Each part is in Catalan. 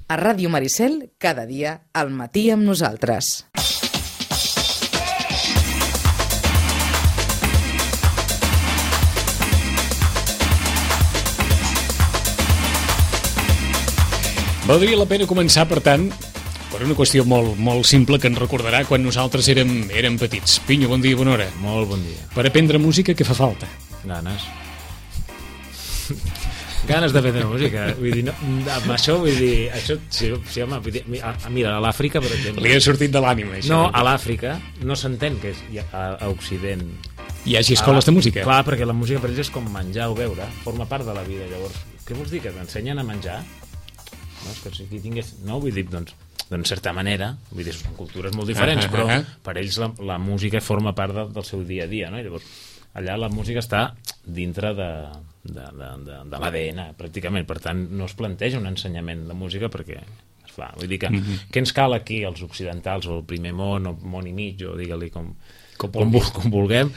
A Ràdio Maricel, cada dia, al matí amb nosaltres. Valdria la pena començar, per tant, per una qüestió molt simple que ens recordarà quan nosaltres érem petits. Pinyo, bon dia, bona hora. Molt bon dia. Per aprendre música, què fa falta? Ganes. Ganes d'aprendre música. Vull dir, no, amb això, vull dir... Això, sí, home, vull dir, mira, a l'Àfrica, per exemple... Li ha sortit de l'ànima, això. No, a l'Àfrica no s'entén que a Occident... Hi hagi escoles de música. Clar, perquè la música per ells és com menjar o beure, forma part de la vida. Llavors, què vols dir, que t'ensenyen a menjar? No, és que si aquí tingués... No, vull dir, doncs, certa manera, vull dir, són cultures molt diferents, però per ells la música forma part del seu dia a dia, no? I llavors, allà la música està dintre de l'ADN, pràcticament. Per tant, no es planteja un ensenyament de música perquè es fa. Vull dir que què ens cal aquí, els occidentals, o el primer món, o món i mig, o digue-li com vulguem?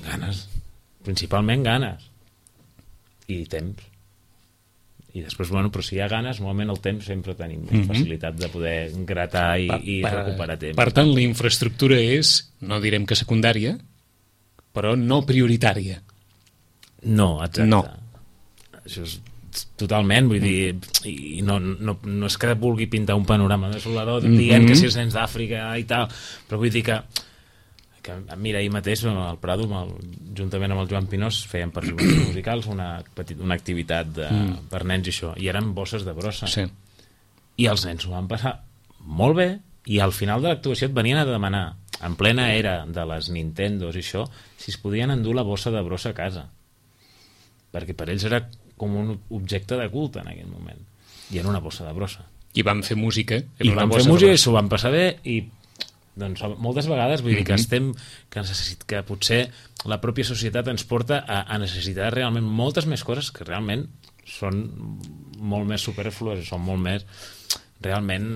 Ganes. Principalment ganes. I temps. I després, bueno, però si hi ha ganes, normalment el temps sempre tenim més facilitat de poder gratar i recuperar temps. Per tant, la infraestructura és, no direm que secundària, però no prioritària. No, exacte. No. Això és totalment, vull dir, i no és que vulgui pintar un panorama desolador dient que si els nens d'Àfrica i tal, però vull dir que mira, ahir mateix al Prado, juntament amb el Joan Pinós, fèiem per jovents musicals una activitat per nens i això, i eren bosses de brossa. Sí. I els nens ho van passar molt bé, i al final de l'actuació et venien a demanar, en plena era de les Nintendos i això, si es podien endur la bossa de brossa a casa. Perquè per ells era com un objecte de culte en aquell moment. I era una bossa de brossa. I van fer música. I van fer música i s'ho van passar bé, i doncs moltes vegades vull dir que potser la pròpia societat ens porta a necessitar realment moltes més coses que realment són molt més superflues i són molt més realment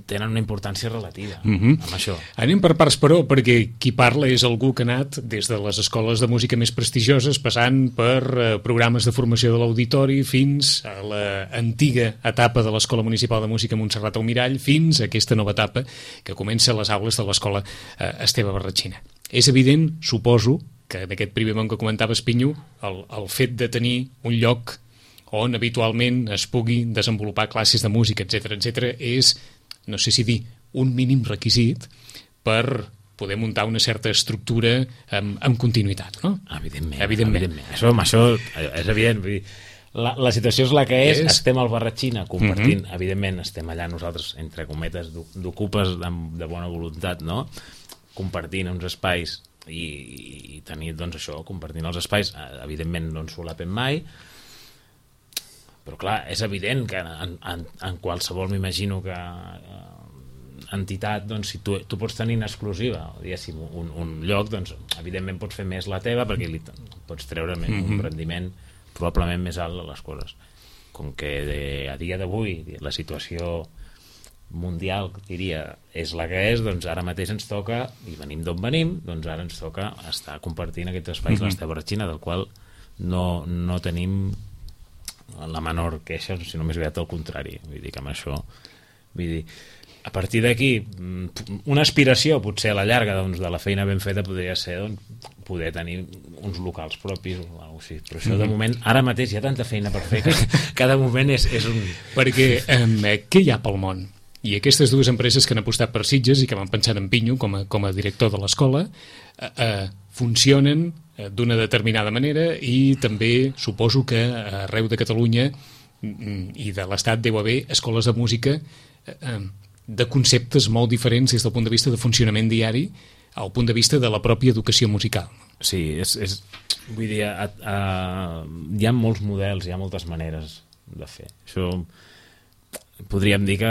tenen una importància relativa amb això. Anem per parts, però, perquè qui parla és algú que ha anat des de les escoles de música més prestigioses, passant per programes de formació de l'auditori, fins a l'antiga etapa de l'Escola Municipal de Música Montserrat Almirall, fins a aquesta nova etapa que comença a les aules de l'Escola Esteve Barratxina. És evident, suposo, que en aquest primer món que comentaves, Pinyo, el fet de tenir un lloc on habitualment es pugui desenvolupar classes de música, etc., és, no sé si dir, un mínim requisit per poder muntar una certa estructura amb continuïtat, no? Evidentment. Això és evident. Vull dir, la situació és la que és. Estem al Barratxina compartint, evidentment, estem allà nosaltres, entre cometes, d'ocupes de bona voluntat, no? Compartint uns espais i tenir, doncs, això, compartint els espais, evidentment no ens solapem mai, però clar, és evident que en qualsevol, m'imagino que entitat, doncs si tu pots tenir en exclusiva, diguéssim, un lloc, doncs evidentment pots fer més la teva perquè li pots treure un rendiment probablement més alt a les coses. Com que a dia d'avui la situació mundial, diria, és la que és, doncs ara mateix ens toca, i venim d'on venim, doncs ara ens toca estar compartint aquests espais a l'Esteve Barratxina, del qual no tenim la menor queixa, sinó més aviat al contrari. Vull dir que amb això, vull dir, a partir d'aquí, una aspiració potser a la llarga, doncs, de la feina ben feta podria ser, doncs, poder tenir uns locals propis o alguna cosa així. Però això de moment, ara mateix hi ha tanta feina per fer que cada moment és un... Perquè què hi ha pel món? I aquestes dues empreses que han apostat per Sitges i que van pensar en Pinyo com a director de l'escola funcionen d'una determinada manera i també suposo que arreu de Catalunya i de l'Estat deu haver escoles de música de conceptes molt diferents des del punt de vista de funcionament diari al punt de vista de la pròpia educació musical. Sí, vull dir, hi ha molts models, hi ha moltes maneres de fer. Això podríem dir que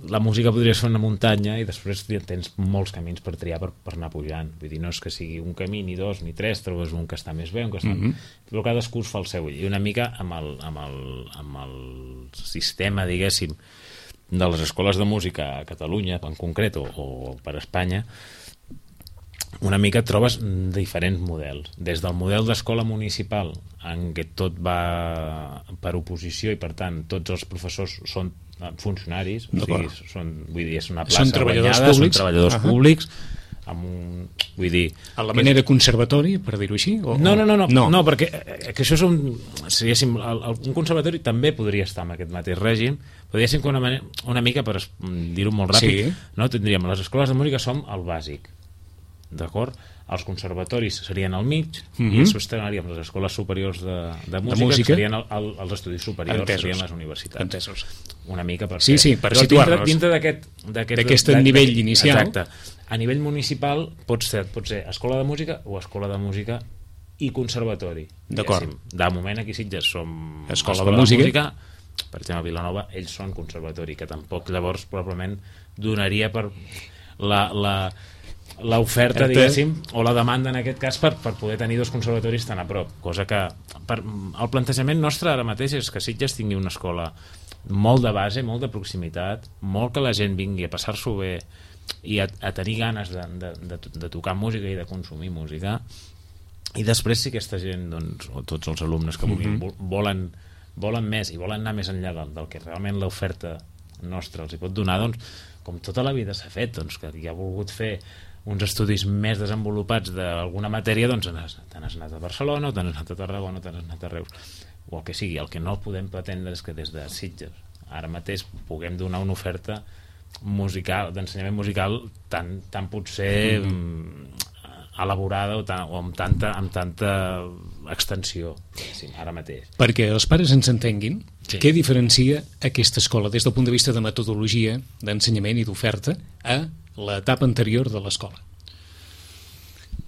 la música podria ser una muntanya i després tens molts camins per triar per anar pujant. Vull dir, no és que sigui un camí, ni dos, ni tres, trobes un que està més bé, un que està... Però cadascú es fa el seu. I una mica amb el sistema, diguéssim, de les escoles de música a Catalunya, en concret, o per Espanya, una mica et trobes diferents models. Des del model d'escola municipal, en què tot va per oposició i, per tant, tots els professors són funcionaris, o sigui, vull dir, és una plaça guanyada, són treballadors públics, amb un, vull dir... A la manera conservatori, per dir-ho així? No, perquè que això és un conservatori també podria estar en aquest mateix règim, podria ser una mica, per dir-ho molt ràpid, no? Tindríem les escoles de música som el bàsic, d'acord? Els conservatoris serien al mig i després teníem les escoles superiors de música que serien els estudis superiors, serien les universitats. Entesos. Una mica per per situar-nos dintre d'aquest nivell inicial. Exacte. A nivell municipal pot ser escola de música o escola de música i conservatori. D'acord. De moment aquí a Sitges som escola de música. Per exemple, a Vilanova ells són conservatori, que tampoc llavors probablement donaria per l'oferta, diguéssim, o la demanda en aquest cas per poder tenir dos conservatoris tan a prop, cosa que el plantejament nostre ara mateix és que Sitges tingui una escola molt de base, molt de proximitat, molt que la gent vingui a passar-s'ho bé i a tenir ganes de tocar música i de consumir música, i després si aquesta gent, doncs, o tots els alumnes que volen més i volen anar més enllà del que realment l'oferta nostra els hi pot donar, doncs com tota la vida s'ha fet, doncs que hi ha volgut fer uns estudis més desenvolupats d'alguna matèria, doncs te n'has anat a Barcelona, o te n'has anat a Tarragona, o te n'has anat a Reus, o el que sigui. El que no podem pretendre és que des de Sitges ara mateix puguem donar una oferta musical, d'ensenyament musical tan potser elaborada o amb tanta extensió, ara mateix. Perquè els pares ens entenguin, què diferencia aquesta escola des del punt de vista de metodologia, d'ensenyament i d'oferta a l'etapa anterior de l'escola?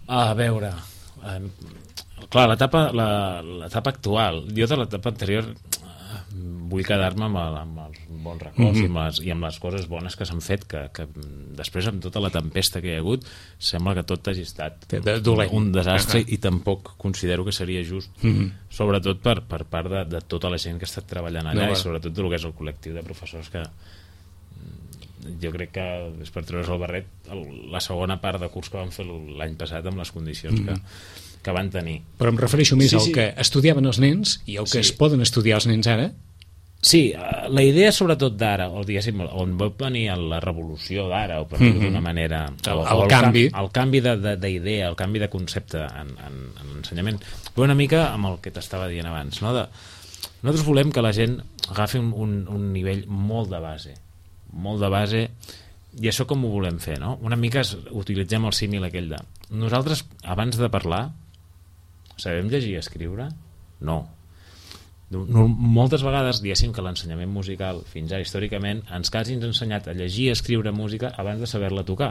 A veure, clar, l'etapa actual, jo de l'etapa anterior vull quedar-me amb els bons records i amb les coses bones que s'han fet, que després amb tota la tempesta que hi ha hagut sembla que tot hagi estat un desastre i tampoc considero que seria just, sobretot per part de tota la gent que ha estat treballant allà i sobretot del que és el col·lectiu de professors que jo crec que és per treure's el barret la segona part de curs que van fer l'any passat amb les condicions que van tenir. Però em refereixo més al que estudiaven els nens i al que es poden estudiar els nens ara. Sí, la idea sobretot d'ara, o diguéssim, on va venir la revolució d'ara, o per dir-ho d'una manera, el canvi d'idea, el canvi de concepte en l'ensenyament, va una mica amb el que t'estava dient abans, no? Nosaltres volem que la gent agafi un nivell molt de base, i això com ho volem fer, no? Una mica utilitzem el símil aquell de nosaltres, abans de parlar, sabem llegir i escriure? No. Moltes vegades, diguéssim que l'ensenyament musical, fins ara històricament, ens quasi ens ha ensenyat a llegir i escriure música abans de saber-la tocar.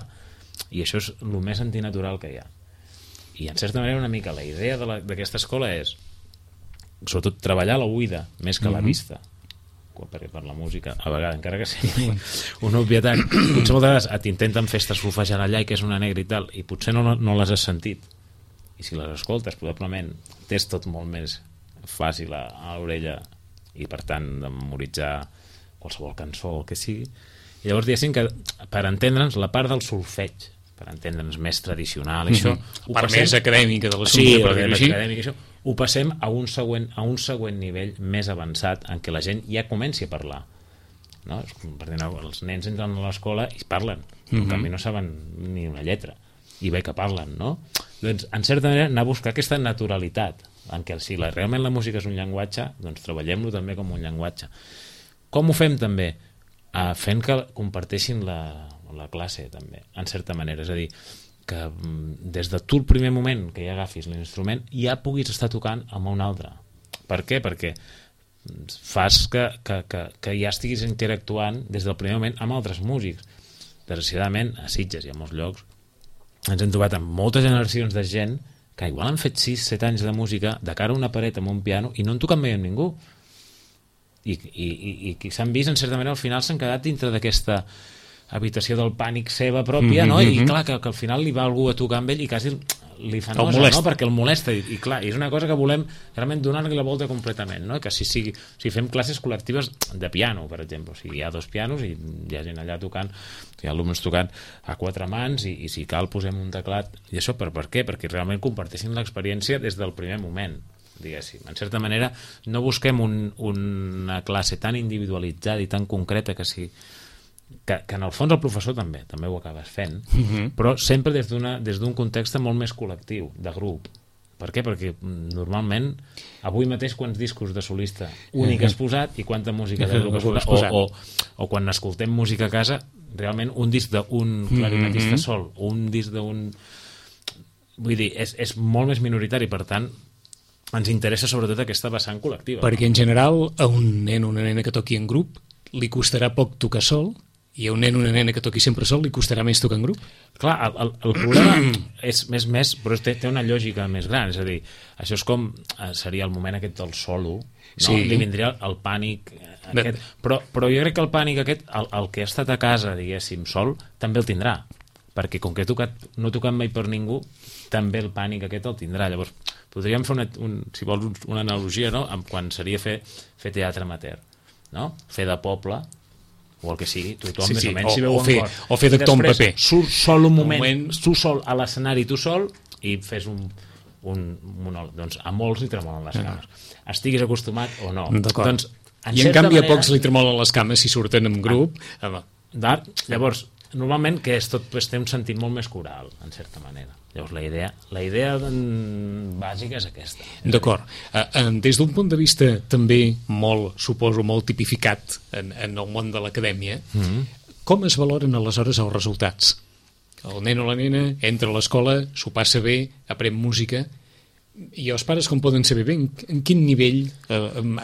I això és el més antinatural que hi ha. I en certa manera una mica la idea d'aquesta escola és sobretot treballar la oïda més que la vista, perquè per la música a vegades, encara que sigui una obvietat, potser moltes vegades t'intenten fer solfejant allà i que és una negra i tal, i potser no les has sentit, i si les escoltes probablement tens tot molt més fàcil a l'orella i per tant de memoritzar qualsevol cançó o el que sigui, i llavors diguéssim que per entendre'ns la part del solfeig, per entendre'ns més tradicional, això la part més acadèmica de l'assumpte, per dir-ho així, ho passem a un següent nivell més avançat en què la gent ja comenci a parlar, no? Per dir, els nens entren a l'escola i parlen, en canvi no saben ni una lletra i bé que parlen, no? Doncs en certa manera anar a buscar aquesta naturalitat en què si realment la música és un llenguatge, doncs treballem-lo també com un llenguatge. Com ho fem també? Fent que comparteixin la classe també, en certa manera, és a dir, que des de tu el primer moment que ja agafis l'instrument ja puguis estar tocant amb un altre. Per què? Perquè fas que ja estiguis interactuant des del primer moment amb altres músics. Desgraciadament, a Sitges i a molts llocs ens hem trobat amb moltes generacions de gent que igual han fet 6-7 anys de música de cara a una paret amb un piano i no han tocat mai amb ningú. I que s'han vist, en certa manera, al final s'han quedat dintre d'aquesta habitació del pànic seva pròpia, no? I clar, que al final li va algú a tocar amb ell i quasi li fa nosa, no? Perquè el molesta i clar, és una cosa que volem realment donar-li la volta completament, no? Que si fem classes col·lectives de piano, per exemple, o sigui, hi ha 2 pianos i hi ha gent allà tocant, hi ha alumnes tocant a 4 mans i si cal posem un teclat i això per què? Perquè realment comparteixin l'experiència des del primer moment, diguéssim. En certa manera no busquem una classe tan individualitzada i tan concreta que en el fons el professor també ho acabes fent, però sempre des d'un context molt més col·lectiu, de grup. Per què? Perquè normalment avui mateix quants discos de solista únic has posat i quanta música de grup has posat o quan escoltem música a casa, realment un disc d'un clarinetista sol o un disc d'un... Vull dir, és molt més minoritari, per tant ens interessa sobretot aquesta vessant col·lectiva. Perquè en general a un nen o una nena que toqui en grup li costarà poc tocar sol i a un nen o una nena que toqui sempre sol li costarà més tocar en grup? Clar, el problema és més però té una lògica més gran, és a dir, això és com seria el moment aquest del solo, no? Sí. Li vindria el pànic aquest, però jo crec que el pànic aquest, el que ha estat a casa, diguéssim, sol, també el tindrà, perquè com que no he tocat mai per ningú, també el pànic aquest el tindrà. Llavors, podríem fer si vols una analogia, no? Quan seria fer teatre amateur, no? Fer de poble o el que sigui, tothom més o menys s'hi veu en cor. O fer d'actor en paper. Surt sol un moment, tu sol a l'escenari, tu sol, i fes un monòleg. Doncs a molts li tremolen les cames. Estiguis acostumat o no. Doncs, i en canvi a pocs li tremolen les cames si surten en grup. Llavors, normalment que tot té un sentit molt més coral, en certa manera. Llavors la idea bàsica és aquesta. D'acord. Des d'un punt de vista també suposo molt tipificat en el món de l'acadèmia, com es valoren aleshores els resultats? El nen o la nena entra a l'escola, s'ho passa bé, aprèn música, i els pares com poden saber bé en quin nivell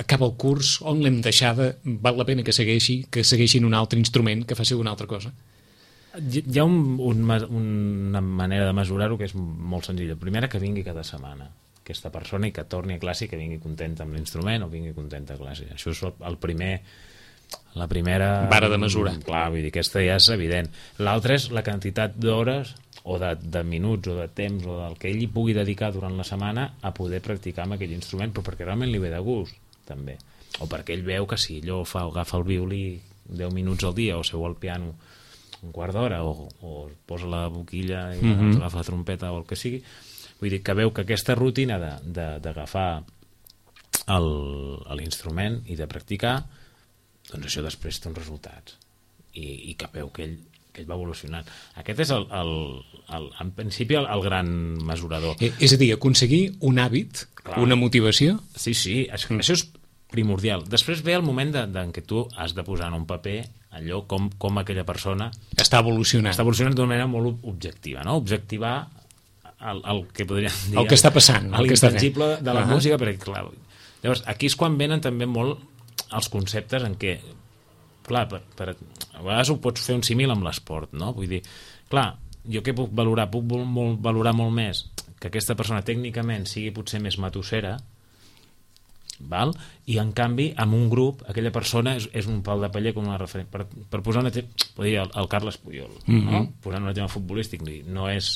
acaba el curs, on l'hem deixada, val la pena que segueixin un altre instrument, que faci una altra cosa? Hi ha una manera de mesurar-ho que és molt senzilla. Primera, que vingui cada setmana aquesta persona i que torni a classe i que vingui contenta amb l'instrument o vingui contenta a classe. Això és la primera vara de mesurar. Clar, vull dir, aquesta ja és evident. L'altra és la quantitat d'hores o de minuts o de temps o del que ell hi pugui dedicar durant la setmana a poder practicar amb aquell instrument, però perquè realment li ve de gust, també. O perquè ell veu que si allò agafa el violí 10 minuts al dia o seu al piano un quart d'hora o posa la boquilla i agafa la trompeta o el que sigui, vull dir que veu que aquesta rutina d'agafar l'instrument i de practicar, doncs això després té uns resultats i que veu que ell va evolucionant. Aquest és en principi el gran mesurador. És a dir, aconseguir un hàbit, una motivació? Sí, això és primordial. Després ve el moment en què tu has de posar en un paper allò com aquella persona està evolucionant d'una manera molt objectiva, no? Objectivar el que podríem dir el que està passant, l'intangible de la música, perquè clar, llavors aquí és quan venen també molt els conceptes en què clar, a vegades ho pots fer un símil amb l'esport, no? Vull dir, clar, jo què puc valorar? Puc valorar molt més que aquesta persona tècnicament sigui potser més matossera, val? I en canvi amb un grup aquella persona és un pal de paller com una referent. Per posar un exemple, el Carles Puyol, no? Posant un exemple futbolístic, no és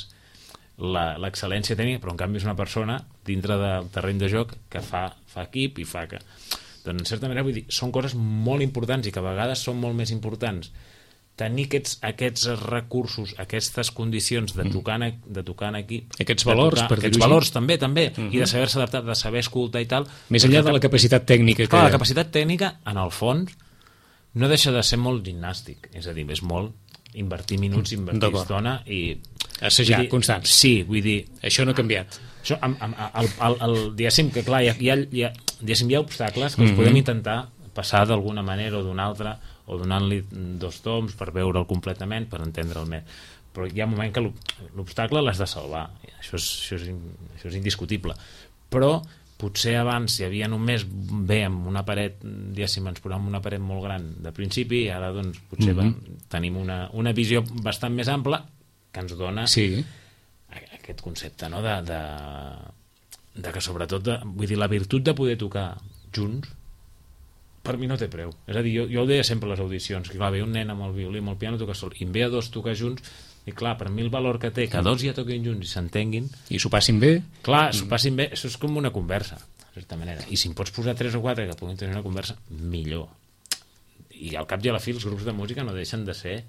l'excel·lència tècnica, però en canvi és una persona dintre del terreny de joc que fa equip i fa que... Doncs en certa manera vull dir, són coses molt importants i que a vegades són molt més importants tenir aquests recursos, aquestes condicions de tocar en equip, aquests valors també, i de saber-se adaptar, de saber escoltar i tal, més enllà de la capacitat tècnica la capacitat tècnica en el fons no deixa de ser molt gimnàstic, és a dir, és molt invertir minuts, invertir estona i assajar constant. Sí, vull dir, això no ha canviat. Això, diguéssim que clar, hi ha obstacles que els podem intentar passar d'alguna manera o d'una altra, o donant-li 2 toms per veure'l completament, per entendre'l més. Però hi ha un moment que l'obstacle l'has de salvar. Això és indiscutible. Però potser abans hi havia només amb una paret, diguéssim, ens posàvem una paret molt gran de principi i ara doncs potser tenim una visió bastant més ampla que ens dona aquest concepte, no? de que sobretot, vull dir, la virtut de poder tocar junts per mi no té preu. És a dir, jo ho deia sempre a les audicions, que clar, ve un nen amb el violí, amb el piano, tocar sol, i en ve a 2 tocar junts, I clar, per mi el valor que té que dos ja toquin junts i s'entenguin... I s'ho passin bé. Clar, s'ho passin bé, això és com una conversa, de certa manera. I si em pots posar 3 o 4 que puguin tenir una conversa, millor. I al cap i a la fi els grups de música no deixen de ser,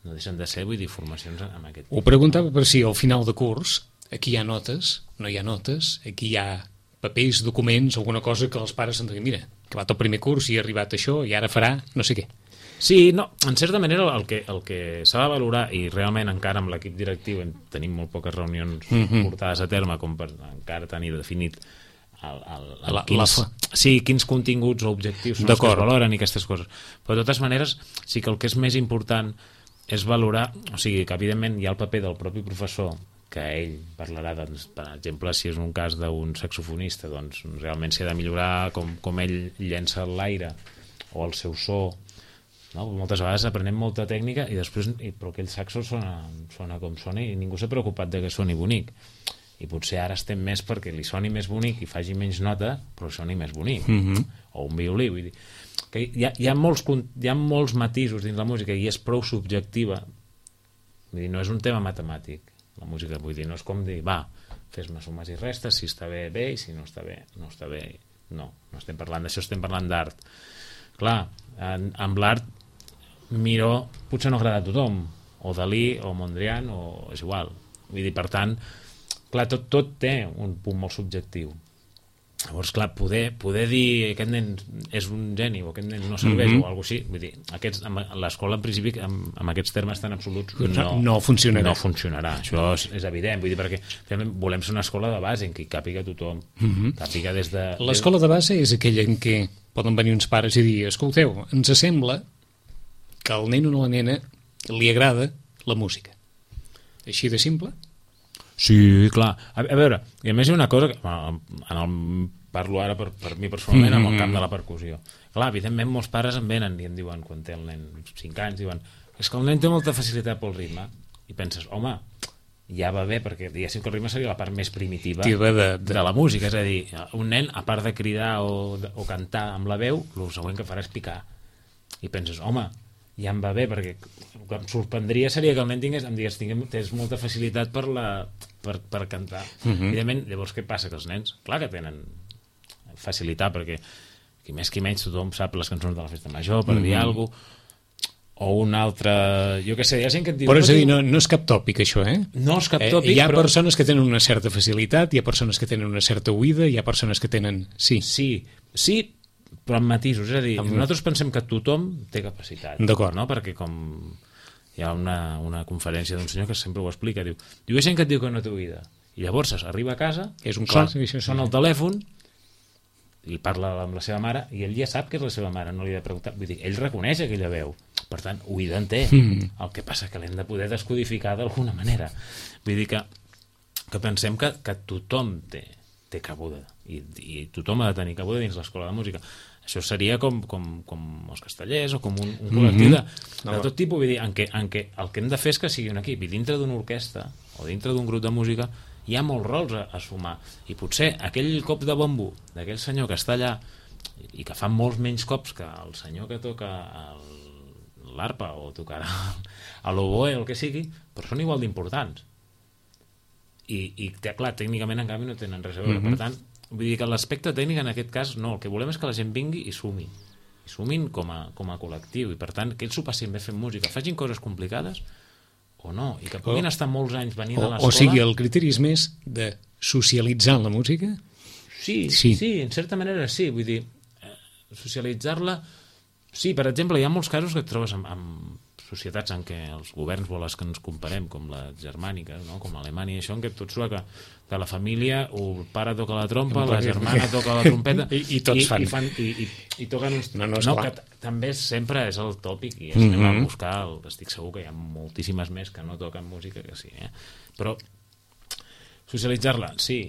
vull dir, formacions en aquest tipus. Ho preguntava per si al final de curs aquí hi ha notes, no hi ha notes, aquí hi ha papers, documents, alguna cosa que els pares s'han de dir, mira, que va tot primer curs i ha arribat això i ara farà no sé què. Sí, no, en certa manera el que s'ha de valorar, i realment encara amb l'equip directiu tenim molt poques reunions portades a terme com per encara tenir definit quins continguts o objectius són els que es valoren i aquestes coses. Però de totes maneres sí que el que és més important és valorar, o sigui, que evidentment hi ha el paper del propi professor, que ell parlarà, doncs, per exemple, si és un cas d'un saxofonista, doncs realment s'ha de millorar com ell llença l'aire o el seu so. No? Moltes vegades aprenem molta tècnica i després, però aquell saxo sona com sona i ningú s'ha preocupat de que soni bonic. I potser ara estem més perquè li soni més bonic i faci menys nota, però soni més bonic. O un violí, vull dir. Que hi ha molts matisos dins la música i és prou subjectiva. Vull dir, no és un tema matemàtic, la música, vull dir, no és com dir, va, fes-me sumes i restes, si està bé, bé, i si no està bé, no està bé. No estem parlant d'això, estem parlant d'art. Clar, amb l'art Miró potser no agrada a tothom, o Dalí o Mondrian, o és igual. Vull dir, per tant, clar, tot té un punt molt subjectiu. Llavors, clar, poder dir aquest nen és un geni o aquest nen no serveix o alguna cosa així, vull dir, l'escola en principi amb aquests termes tan absoluts no funcionarà. No funcionarà, això és evident, vull dir, perquè volem ser una escola de base en què hi càpiga tothom, càpiga des de... L'escola de base és aquella en què poden venir uns pares i dir, escolteu, ens sembla que al nen o a la nena li agrada la música. Així de simple? Sí, clar. A veure, i a més hi ha una cosa que parlo ara per mi personalment amb el camp de la percussió. Clar, evidentment molts pares em venen i em diuen, quan té el nen 5 anys, diuen, és que el nen té molta facilitat pel ritme. I penses, home, ja va bé, perquè diguéssim que el ritme seria la part més primitiva de la música. És a dir, un nen, a part de cridar o cantar amb la veu, el següent que farà és picar. I penses, home, ja em va bé, perquè el que em sorprendria seria que el nen tingués molta facilitat per cantar. Evidentment, llavors què passa? Que els nens, clar que tenen facilitat, perquè qui més qui menys tothom sap les cançons de la festa major per dir alguna cosa, o un altre, jo què sé, hi ha gent que et diu... Però és a dir, no és cap tòpic això, eh? No és cap tòpic, hi ha persones que tenen una certa facilitat, hi ha persones que tenen una certa oïda, hi ha persones que tenen... Sí, però amb matisos, és a dir, nosaltres pensem que tothom té capacitat. D'acord. No? Perquè com hi ha una conferència d'un senyor que sempre ho explica, diu, hi ha gent que et diu que no té oïda, i llavors arriba a casa, sona el telèfon, i parla amb la seva mare, i ell ja sap que és la seva mare, no li ha de preguntar, vull dir, ell reconeix aquella veu, per tant, oïda en té, el que passa que l'hem de poder descodificar d'alguna manera. Vull dir que pensem que tothom té cabuda, i tothom ha de tenir cabuda dins l'escola de música. Això seria com els castellers o com un col·lectiu de tot tipus, vull dir, en què el que hem de fer és que sigui un equip, i dintre d'una orquestra o dintre d'un grup de música hi ha molts rols a sumar, i potser aquell cop de bombo d'aquell senyor que està allà i que fa molts menys cops que el senyor que toca l'arpa o tocarà a l'oboe o el que sigui, però són igual d'importants. I clar, tècnicament en canvi no tenen res a veure. Per tant, vull dir que l'aspecte tècnic en aquest cas no, el que volem és que la gent vingui i sumin com a col·lectiu, i per tant que ells s'ho passin bé fent música, facin coses complicades o no, i que puguin estar molts anys venint a l'escola. O sigui, el criteri és més de socialitzar la música? Sí, en certa manera sí, vull dir, socialitzar-la, sí, per exemple, hi ha molts casos que et trobes amb societats en què els governs volen que ens comparem, com les germàniques, no? Com l'Alemanya i això, en què tot surt que la família, el pare toca la trompa, la germana toca la trompeta i tots fan. I toquen uns... No, que també sempre és el tòpic, i anem a buscar, estic segur que hi ha moltíssimes més que no toquen música que sí, però socialitzar-la, sí,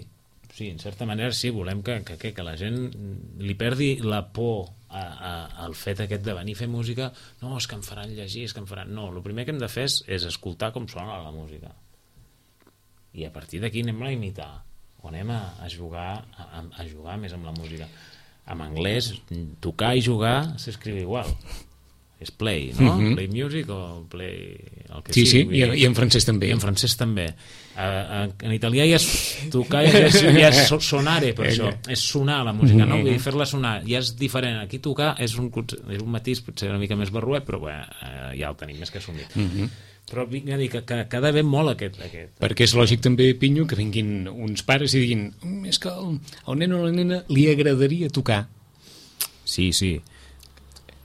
en certa manera sí, volem que la gent li perdi la por al fet aquest de venir a fer música. No, és que em faran llegir, és que em faran... No, el primer que hem de fer és escoltar com sona la música, i a partir d'aquí anem a imitar o anem a jugar més amb la música. En anglès, tocar i jugar s'escriu igual, és play, no? Play music o play... El que Sí, sigui. i en francès també. I en francès també. En italià ja és tocar, ja és sonare, per això. És sonar la música, no? Vull dir, fer-la sonar. Ja és diferent. Aquí tocar és un matís potser una mica més barruet, però bé, ja el tenim més que assumit. Però vinc a dir que ha d'haver molt aquest... Perquè és lògic també, Pinyo, que vinguin uns pares i diguin és que al nen o la nena li agradaria tocar. Sí.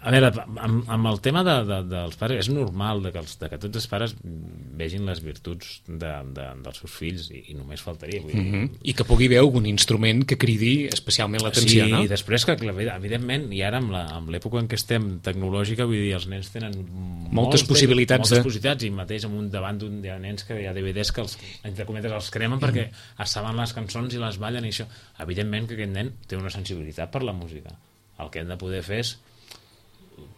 A veure, amb el tema dels pares, és normal que tots els pares vegin les virtuts dels seus fills i només faltaria. Vull dir. I que pugui haver algun instrument que cridi especialment l'atenció, no? Sí, i després que, evidentment, i ara amb l'època en què estem tecnològica, vull dir, els nens tenen moltes possibilitats. I mateix davant d'un de nens que hi ha DVDs que, entre cometes, els cremen perquè es saben les cançons i les ballen i això. Evidentment que aquest nen té una sensibilitat per la música. El que hem de poder fer és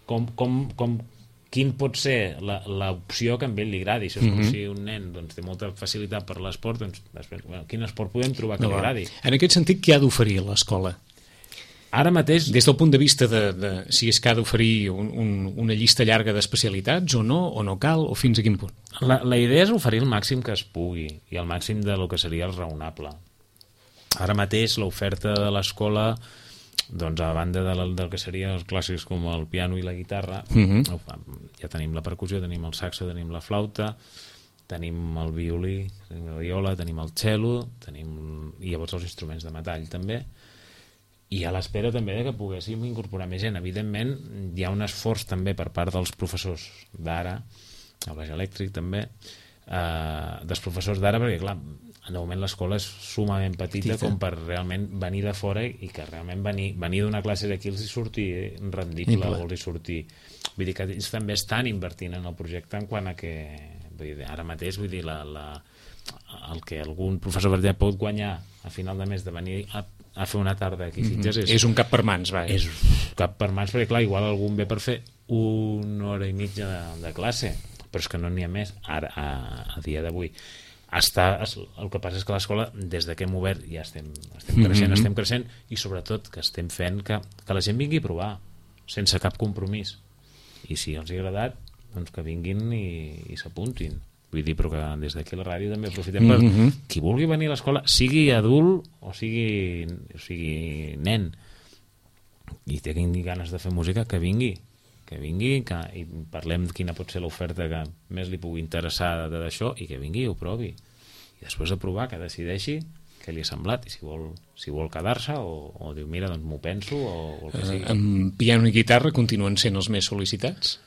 quin pot ser l'opció que a ell li agradi. Això és com si un nen té molta facilitat per l'esport, doncs després, quin esport podem trobar que li agradi? En aquest sentit, què ha d'oferir l'escola? Ara mateix... Des del punt de vista de si és que ha d'oferir una llista llarga d'especialitats o no cal, o fins a quin punt? La idea és oferir el màxim que es pugui i el màxim del que seria el raonable. Ara mateix l'oferta de l'escola, doncs a banda del que serien els clàssics com el piano i la guitarra, ja tenim la percussió, tenim el saxo, tenim la flauta, tenim el violí, tenim la viola, tenim el cello, i llavors els instruments de metall també, i a l'espera també que poguéssim incorporar més gent. Evidentment hi ha un esforç també per part dels professors d'ara, el baix elèctric també, dels professors d'ara, perquè clar, de moment l'escola és sumament petita com per realment venir de fora i que realment venir d'una classe d'aquí els hi surti rendible o els hi surti... Vull dir que ells també estan invertint en el projecte en quant a que... Vull dir, ara mateix, vull dir, el que algun professor per exemple pot guanyar a final de mes de venir a fer una tarda aquí a Sitges és un cap per mans, va. És cap per mans, perquè clar, igual algun ve per fer una hora i mitja de classe, però és que no n'hi ha més ara, a dia d'avui. El que passa és que l'escola, des que hem obert, ja estem creixent i sobretot que estem fent que la gent vingui a provar sense cap compromís, i si els ha agradat doncs que vinguin i s'apuntin. Vull dir, però que des d'aquí a la ràdio també aprofitem per qui vulgui venir a l'escola, sigui adult o sigui nen, i tingui ganes de fer música, que vingui i parlem de quina pot ser l'oferta que més li pugui interessar d'això, i que vingui i ho provi, i després de provar que decideixi què li ha semblat, i si vol quedar-se o diu mira, doncs m'ho penso o el que sigui. Amb piano i guitarra continuen sent els més sol·licitats?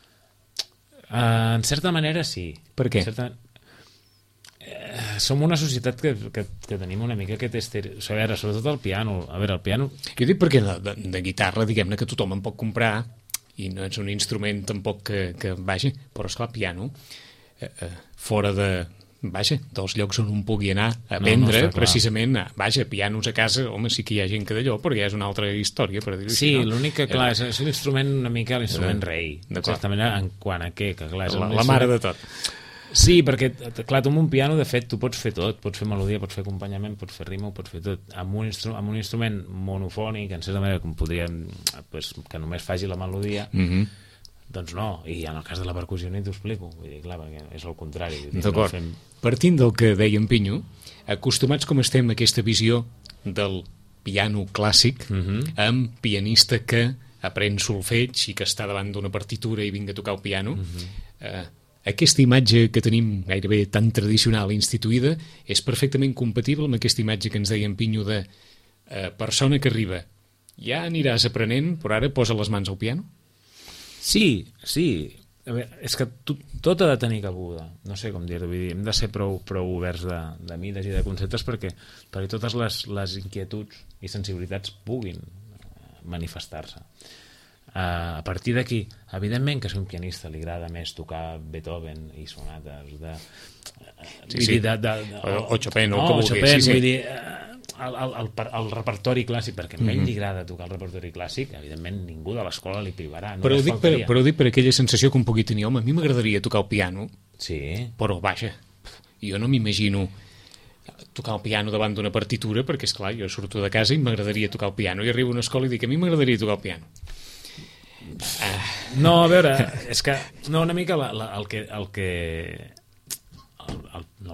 En certa manera sí. Per què? Som una societat que tenim una mica aquest estereotip, sobretot el piano. A veure, el piano... Jo dic perquè de guitarra, diguem-ne que tothom en pot comprar i no és un instrument tampoc que vagi, però esclar, piano fora dels llocs on un pugui anar a aprendre, precisament, pianos a casa, home, sí que hi ha gent que d'allò, però ja és una altra història, per dir-ho així. Sí, l'únic que, clar, és l'instrument una mica l'instrument rei, en certa manera, en quant a què, que clar, és la mare de tot. Sí, perquè, clar, tu amb un piano, de fet, tu pots fer tot, pots fer melodia, pots fer acompanyament, pots fer rima, ho pots fer tot. Amb un instrument monofònic, en certa manera, com podríem, que només faci la melodia, doncs no, i en el cas de la percussió ni t'ho explico, vull dir, clar, perquè és el contrari. D'acord, partint del que deia en Pinyo, acostumats com estem a aquesta visió del piano clàssic, amb pianista que aprèn solfeig i que està davant d'una partitura i vinga a tocar el piano, aquesta imatge que tenim gairebé tan tradicional i instituïda és perfectament compatible amb aquesta imatge que ens deia en Pinyo de persona que arriba, ja aniràs aprenent, però ara posa les mans al piano? Sí. A veure, és que tot ha de tenir cabuda, no sé com dir-ho, vull dir, hem de ser prou oberts de mides i de conceptes perquè totes les inquietuds i sensibilitats puguin manifestar-se. A partir d'aquí, evidentment que si a un pianista li agrada més tocar Beethoven i sonates o Chopin o que vulgui, vull dir, el repertori clàssic, perquè a ell li agrada tocar el repertori clàssic, evidentment ningú de l'escola li privarà, però ho dic per aquella sensació que un pugui tenir, home, a mi m'agradaria tocar el piano, però vaja, jo no m'imagino tocar el piano davant d'una partitura, perquè esclar, jo surto de casa i m'agradaria tocar el piano, i arribo a una escola i dic, a mi m'agradaria tocar el piano. No, a veure, és que no, una mica el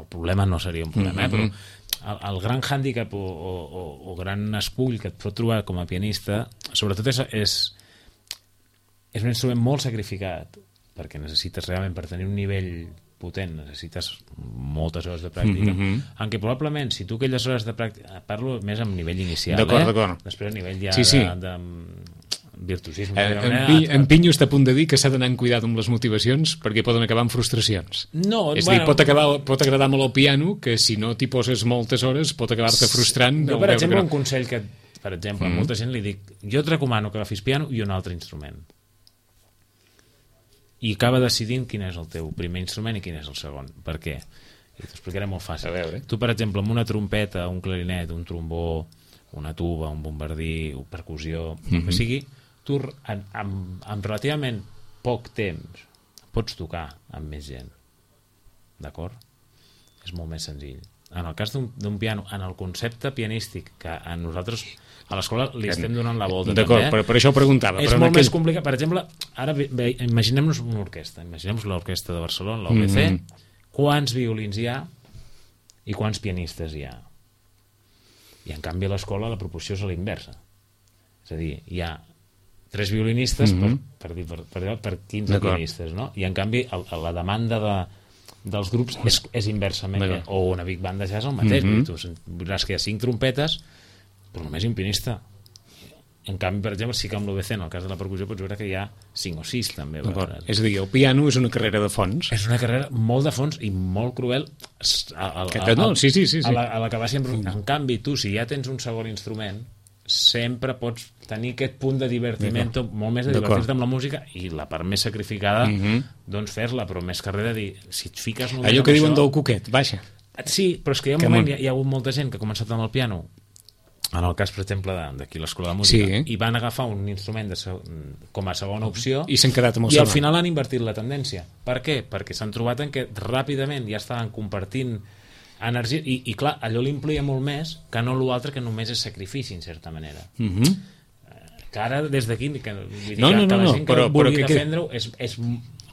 problema no seria un problema, però el gran hàndicap o gran escull que et pot trobar com a pianista, sobretot és un instrument molt sacrificat, perquè necessites realment, per tenir un nivell potent, necessites moltes hores de pràctica, en què probablement, si tu aquelles hores de pràctica, parlo més amb nivell inicial, d'acord. Després a nivell ja de virtuosisme. En Pinyo està a punt de dir que s'ha d'anar amb cuidado amb les motivacions perquè poden acabar amb frustracions. No, és a dir, pot agradar molt el piano, que si no t'hi poses moltes hores pot acabar-te frustrant. Jo, per exemple, un consell que, per exemple, a molta gent li dic, jo et recomano que agafis piano i un altre instrument. I acaba decidint quin és el teu primer instrument i quin és el segon. Per què? I t'ho explicaré molt fàcil. Tu, per exemple, amb una trompeta, un clarinet, un trombó, una tuba, un bombardí, una percussió, el que sigui, tu amb relativament poc temps pots tocar amb més gent. D'acord? És molt més senzill. En el cas d'un piano, en el concepte pianístic que a nosaltres a l'escola li estem donant la volta. D'acord, per això ho preguntava. És molt més complicat. Per exemple, ara imaginem-nos una orquestra. Imaginem-nos l'orquestra de Barcelona, l'OBC. Quants violins hi ha i quants pianistes hi ha? I en canvi a l'escola la proporció és a la inversa. És a dir, hi ha 3 violinistes per 15 pianistes, no? I en canvi la demanda dels grups és inversament, o una big band de jazz el mateix. Tu veuràs que hi ha 5 trompetes però només hi ha un pianista. En canvi, per exemple, sí que amb l'OBC, en el cas de la percussió, pots veure que hi ha 5 o 6 també. És a dir, el piano és una carrera de fons. És una carrera molt de fons i molt cruel a la que va sempre. En canvi, tu, si ja tens un segon instrument, sempre pots tenir aquest punt de divertiment, molt més de divertir-te amb la música, i la part més sacrificada, doncs fer-la, però més carrera dir, si et fiques només allò que diuen del coquet, baixa. Sí, però és que hi ha un moment, hi ha hagut molta gent que ha començat amb el piano, en el cas, per exemple, d'aquí l'Escola de Música, i van agafar un instrument com a segona opció i s'han quedat amb el i al final han invertit la tendència. Per què? Perquè s'han trobat en què ràpidament ja estaven compartint energia, i clar, allò l'implica molt més que no l'altre, que només és sacrifici, en certa manera. Que ara, des d'aquí, que la gent que vulgui defendre-ho,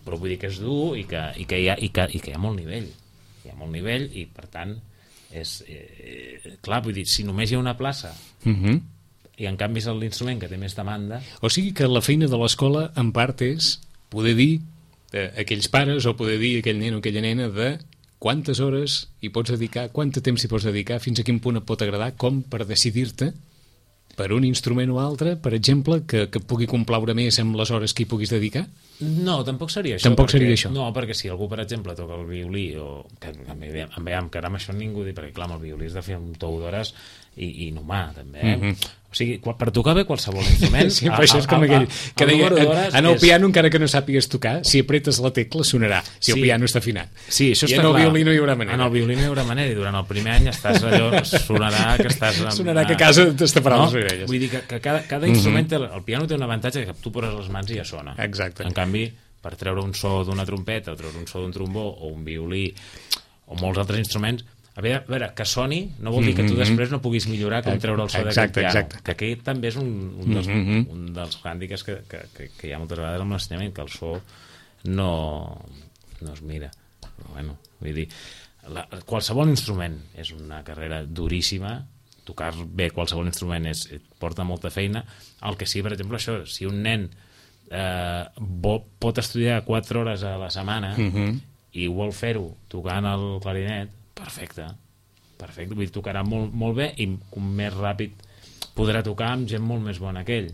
però vull dir que és dur i que hi ha molt nivell. Hi ha molt nivell i, per tant, clar, vull dir, si només hi ha una plaça i en canvi és l'instrument que té més demanda... O sigui que la feina de l'escola, en part, és poder dir a aquells pares o poder dir a aquell nen o aquella nena de quantes hores hi pots dedicar, quant temps hi pots dedicar, fins a quin punt et pot agradar, com per decidir-te per un instrument o altre, per exemple, que pugui complaure més amb les hores que hi puguis dedicar? No, tampoc seria això. Tampoc seria això? No, perquè si algú, per exemple, toca el violí, o que ara amb això ningú diu, perquè clar, amb el violí has de fer un tou d'hores i inhumà, també. O sigui, per tocar bé qualsevol instrument... Sí, però això és com aquell que deia, en el piano, encara que no sàpigues tocar, si apretes la tecla sonarà, si el piano està afinat. Sí, això està clar. I en el violí no hi haurà manera. En el violí no hi haurà manera, i durant el primer any estàs allò, sonarà que estàs... Sonarà que a casa t'estaparan les orelles. Vull dir que cada instrument, el piano té un avantatge que tu poses les mans i ja sona. Exacte. En canvi, per treure un so d'una trompeta, o treure un so d'un trombó, o un violí, o molts altres instruments, a veure, que soni no vol dir que tu després no puguis millorar com treure el so d'aquest piano, que aquest també és un dels hàndicaps que hi ha moltes vegades amb l'ensenyament, que el so no es mira. Però bueno, vull dir, qualsevol instrument és una carrera duríssima, tocar bé qualsevol instrument porta molta feina. El que sí, per exemple, això, si un nen pot estudiar 4 hores a la setmana i vol fer-ho tocant el clarinet, perfecte, vull dir, tocarà molt bé i més ràpid podrà tocar amb gent molt més bona que ell.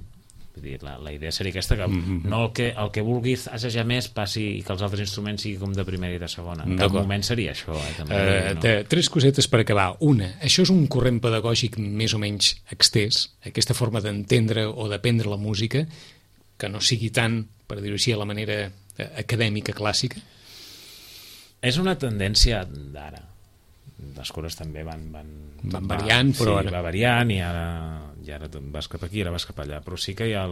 Vull dir, la idea seria aquesta, que no el que vulgui assajar més passi i que els altres instruments siguin com de primera i de segona. En cap moment seria això. També, 3 cosetes per acabar. Una, això és un corrent pedagògic més o menys extès, aquesta forma d'entendre o d'aprendre la música, que no sigui tant, per dir-ho així, a la manera acadèmica clàssica? És una tendència d'ara. Les coses també van variant, però sí, va variant, i ara vas cap aquí, ara vas cap allà, però sí que hi ha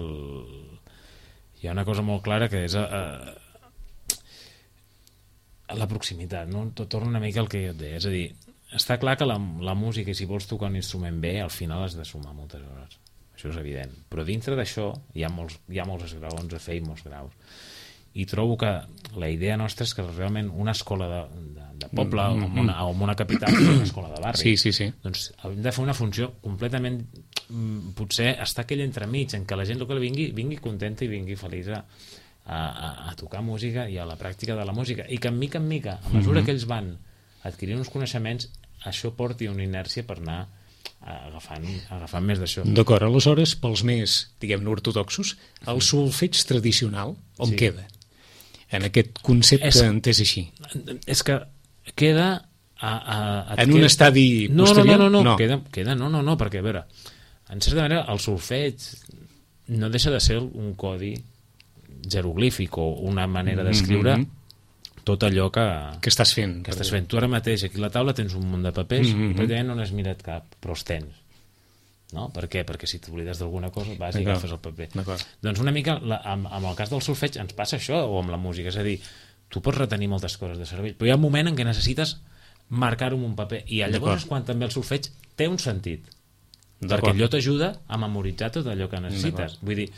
una cosa molt clara, que és la proximitat, no? Torna una mica al que jo et deia, és a dir, està clar que la música, i si vols tocar un instrument bé, al final has de sumar moltes hores. això és evident. Però dintre d'això hi ha molts esgraons a fer i molts graus. I trobo que la idea nostra és que realment una escola de poble o en una capital és una escola de barri. Sí. Doncs hem de fer una funció completament... Potser està aquell entremig en què la gent local vingui contenta i vingui feliç a tocar música i a la pràctica de la música. I que, mica en mica, a mesura que ells van adquirint uns coneixements, això porti una inèrcia per anar agafant més d'això. D'acord, aleshores, pels més, diguem-ne, ortodoxos, el solfeig tradicional on queda? En aquest concepte entès així. És que queda... En un estadi posterior? No, queda, perquè, a veure, en certa manera, el solfeig no deixa de ser un codi jeroglífic o una manera d'escriure tot allò que estàs fent. Tu ara mateix, aquí a la taula tens un munt de papers, pràcticament no n'has mirat cap, però els tens. No? Per què? Perquè si t'oblides d'alguna cosa vas i agafes el paper. Doncs una mica, amb el cas del solfeig ens passa això, o amb la música, és a dir, tu pots retenir moltes coses de cervell, però hi ha un moment en què necessites marcar-ho en un paper, i llavors és quan també el solfeig té un sentit, perquè allò t'ajuda a memoritzar tot allò que necessites. Vull dir,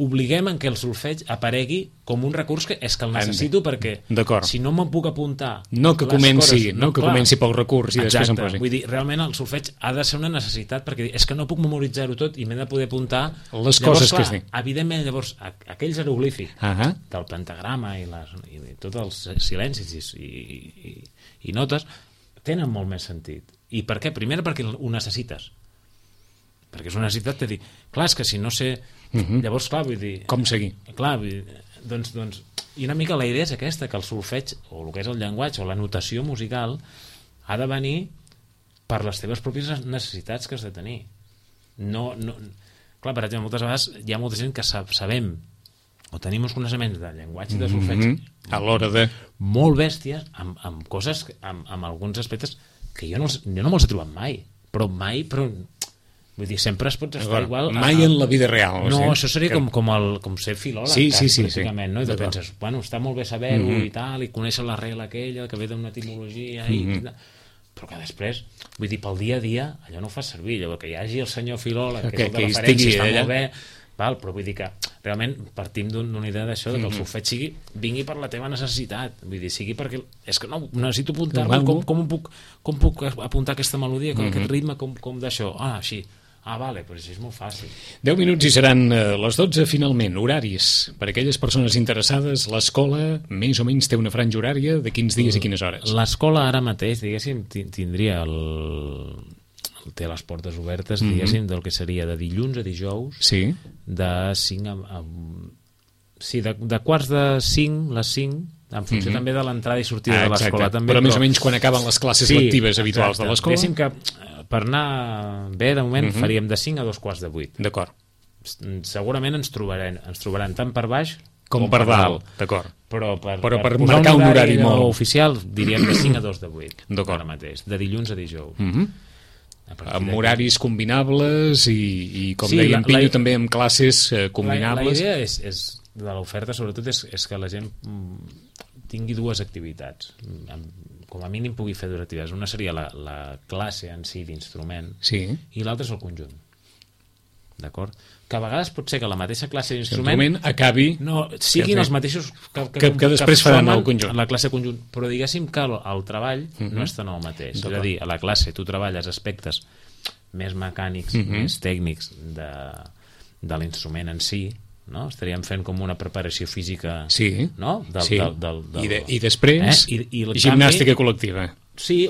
obliguem en què el solfeig aparegui com un recurs que és que el necessito perquè si no me'n puc apuntar no que comenci pel recurs i després em posi. Vull dir, realment el solfeig ha de ser una necessitat perquè és que no puc memoritzar-ho tot i m'he de poder apuntar les coses que sé. Evidentment, llavors, aquell jeroglífic del pentagrama i tots els silencis i notes tenen molt més sentit. I per què? Primer perquè ho necessites. Perquè és una necessitat de dir, clar, és que si no sé... Llavors, clar, vull dir... Com seguir? Clar, doncs... I una mica la idea és aquesta, que el solfeig, o el que és el llenguatge, o la notació musical, ha de venir per les teves pròpies necessitats que has de tenir. Clar, per exemple, moltes vegades hi ha molta gent que sabem o tenim uns coneixements de llenguatge i de solfeig a l'hora de... molt bèsties, amb coses, amb alguns aspectes que jo no me'ls he trobat mai. Vull dir, sempre es pots estar igual... Mai en la vida real. No, això seria com ser filòleg, pràcticament, no? I tu penses, bueno, està molt bé saber-ho i tal, i conèixer l'arrel aquella, que ve d'una etimologia, però que després, vull dir, pel dia a dia, allò no ho fas servir, allò que hi hagi el senyor filòleg, que és el de referència, està molt bé, però vull dir que realment partim d'una idea d'això, que el solfeig vingui per la teva necessitat, vull dir, sigui perquè és que no, necessito apuntar-me, com puc apuntar aquesta melodia, aquest ritme, com d'això, així. Vale, però això és molt fàcil. 10 minuts i seran les 12 finalment. Horaris, per aquelles persones interessades, l'escola més o menys té una franja horària de quins dies i quines hores? L'escola ara mateix, diguéssim, tindria té les portes obertes, diguéssim, del que seria de dilluns a dijous, de 5 de quarts de 5, les 5, en funció també de l'entrada i sortida de l'escola. Però més o menys quan acaben les classes lectives habituals de l'escola. Diguéssim que per anar bé, de moment, faríem de 5 a 2:45. D'acord. Segurament ens trobaran tant per baix com per dalt. D'acord. Però per marcar un horari molt oficial, diríem de 5 a 2:08. D'acord. Ara mateix, de dilluns a dijous. Amb horaris combinables i com deia en Pinyo, també amb classes combinables. La idea de l'oferta, sobretot, és que la gent tingui dues activitats. Com a mínim pugui fer dues activitats. Una seria la classe en si d'instrument i l'altra és el conjunt. D'acord? Que a vegades pot ser que la mateixa classe d'instrument acabi... siguin els mateixos que després faran el conjunt. La classe conjunt. Però diguéssim que el treball no és tant el mateix. És a dir, a la classe tu treballes aspectes més mecànics, més tècnics de l'instrument en si, no? Estaríem fent com una preparació física, no? I després gimnàstica col·lectiva,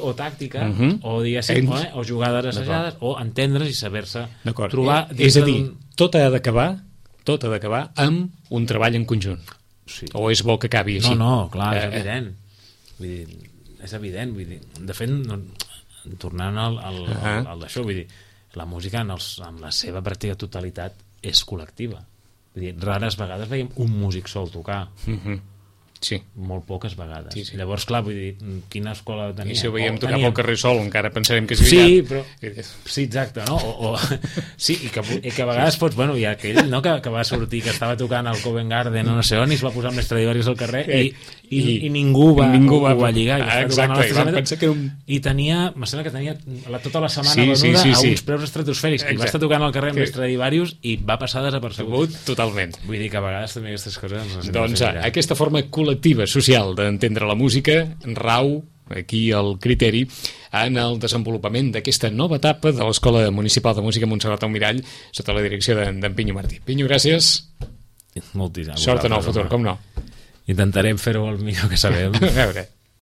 o tàctica, o diguéssim, o jugades assajades, o entendre's i saber-se trobar. És a dir, tot ha d'acabar amb un treball en conjunt, o és bo que acabi així? No, clar, és evident. Vull dir, és evident, vull dir, de fet, tornant al d'això, vull dir, la música amb la seva pràctica totalitat és col·lectiva. Vull dir, rares vegades veiem un músic sol tocar. Sí. Molt poques vegades. Sí. Llavors, clar, vull dir, quina escola tenia? I si ho veiem tocar pel carrer Sol, encara pensarem que és sí, brillant. però... Sí, exacte, no? Sí, i que a vegades pots... Bueno, hi ha aquell, no?, que va sortir, que estava tocant al Covent Garden o no sé on, i es va posar amb les Stradivarius al carrer i ningú va lligar. Exacte, i vam pensar que era un... I tenia, em sembla que tenia tota la setmana venuda a uns preus estratosfèrics. I va estar tocant al carrer amb les Stradivarius i va passar desapercebut. Totalment. Vull dir que a vegades també aquestes coses... Doncs aquesta forma col·lectiva, social, d'entendre la música rau aquí el criteri en el desenvolupament d'aquesta nova etapa de l'Escola Municipal de Música Montserrat Almirall sota la direcció d'en Pinyo Martí. Pinyo, gràcies. Moltíssim. Sort en el futur, com no. Intentarem fer-ho el millor que sabem. A veure.